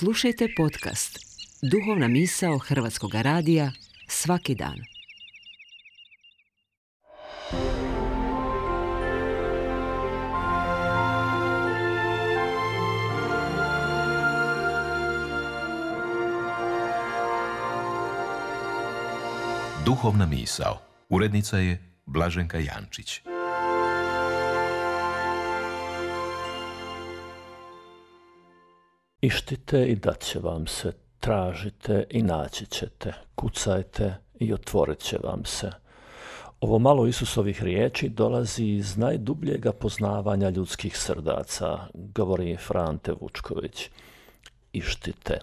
Slušajte podcast Duhovna misao Hrvatskog radija svaki dan. Duhovna misao. Urednica je Blaženka Jančić. Ištite i dat će vam se, tražite i naći ćete, kucajte i otvorit će vam se. Ovo malo Isusovih riječi dolazi iz najdubljega poznavanja ljudskih srdaca, govori Frante Vučković. Ištite.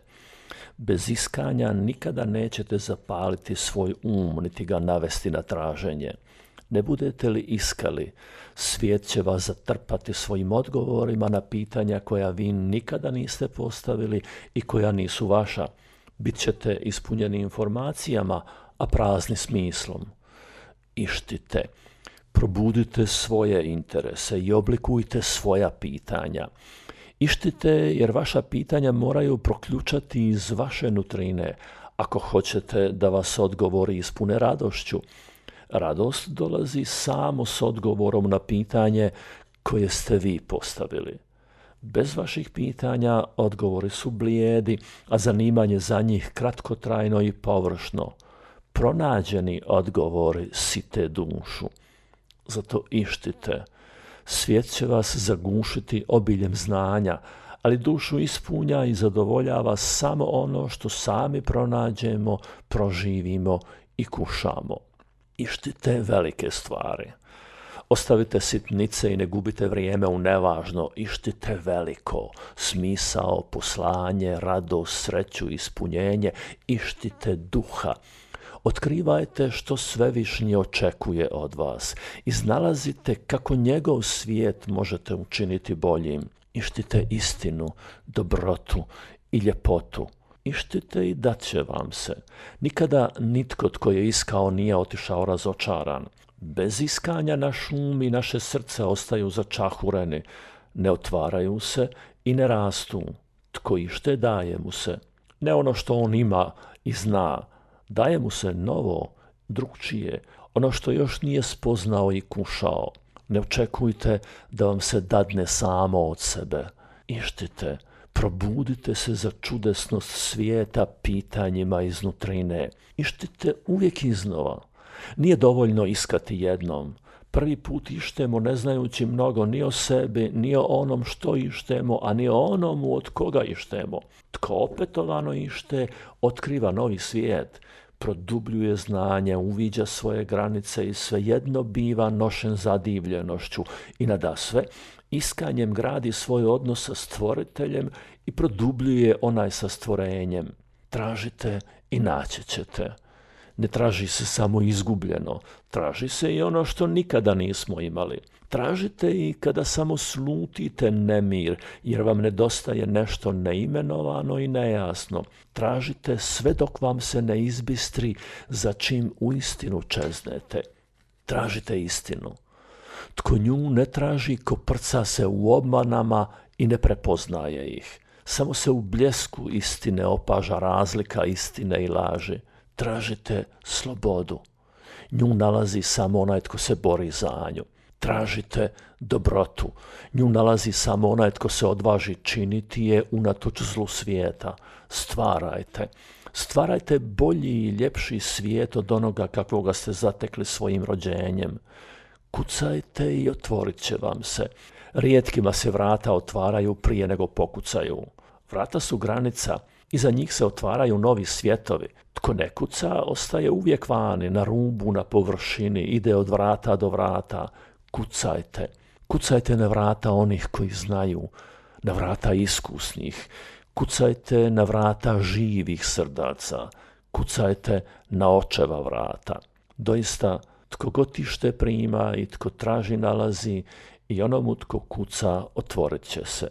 Bez iskanja nikada nećete zapaliti svoj niti ga navesti na traženje. Ne budete li iskali, svijet će vas zatrpati svojim odgovorima na pitanja koja vi nikada niste postavili i koja nisu vaša. Bit ćete ispunjeni informacijama, a prazni smislom. Ištite. Probudite svoje interese i oblikujte svoja pitanja. Ištite jer vaša pitanja moraju proključati iz vaše nutrine, ako hoćete da vas odgovori ispune radošću. Radost dolazi samo s odgovorom na pitanje koje ste vi postavili. Bez vaših pitanja odgovori su blijedi, a zanimanje za njih kratkotrajno i površno. Pronađeni odgovori site dušu. Zato ištite. Svijet će vas zagušiti obiljem znanja, ali dušu ispunja i zadovoljava samo ono što sami pronađemo, proživimo i kušamo. Ištite velike stvari. Ostavite sitnice i ne gubite vrijeme u nevažno. Ištite veliko, smisao, poslanje, radost, sreću, ispunjenje. Ištite duha. Otkrivajte što svevišnji očekuje od vas. Iznalazite kako njegov svijet možete učiniti boljim. Ištite istinu, dobrotu i ljepotu. Ištite i dat će vam se. Nikada nitko tko je iskao nije otišao razočaran. Bez iskanja naš i naše srce ostaju začahureni, ne otvaraju se i ne rastu. Tko ište daje mu se. Ne ono što on ima i zna, daje mu se novo, drugčije, ono što još nije spoznao i kušao. Ne očekujte da vam se dadne samo od sebe. Ištite. Probudite se za čudesnost svijeta pitanjima iznutrine. Ištite uvijek iznova. Nije dovoljno iskati jednom. Prvi put ištemo ne znajući mnogo ni o sebi, ni o onom što ištemo, a ni o onomu od koga ištemo. Tko opetovano ište, otkriva novi svijet. Produbljuje znanje, uviđa svoje granice i svejedno biva nošen zadivljenošću i nadasve iskanjem gradi svoj odnos sa stvoriteljem i produbljuje onaj sa stvorenjem. Tražite i naći ćete. Ne traži se samo izgubljeno, traži se i ono što nikada nismo imali. Tražite i kada samo slutite nemir, jer vam nedostaje nešto neimenovano i nejasno. Tražite sve dok vam se ne izbistri za čim uistinu čeznete. Tražite istinu. Tko nju ne traži, koprca se u obmanama i ne prepoznaje ih. Samo se u bljesku istine opaža razlika istine i laži. Tražite slobodu. Nju nalazi samo onaj tko se bori za nju. Tražite dobrotu. Nju nalazi samo onaj tko se odvaži činiti je unatoč zlu svijeta. Stvarajte. Stvarajte bolji i ljepši svijet od onoga kakvoga ste zatekli svojim rođenjem. Kucajte i otvorit će vam se. Rijetkima se vrata otvaraju prije nego pokucaju. Vrata su granica, iza njih se otvaraju novi svjetovi. Tko ne kuca, ostaje uvijek vani, na rubu, na površini, ide od vrata do vrata. Kucajte. Kucajte na vrata onih koji znaju, na vrata iskusnih. Kucajte na vrata živih srdaca. Kucajte na očeva vrata. Doista, tko god ište prima i tko traži nalazi i onomu tko kuca otvorit će se.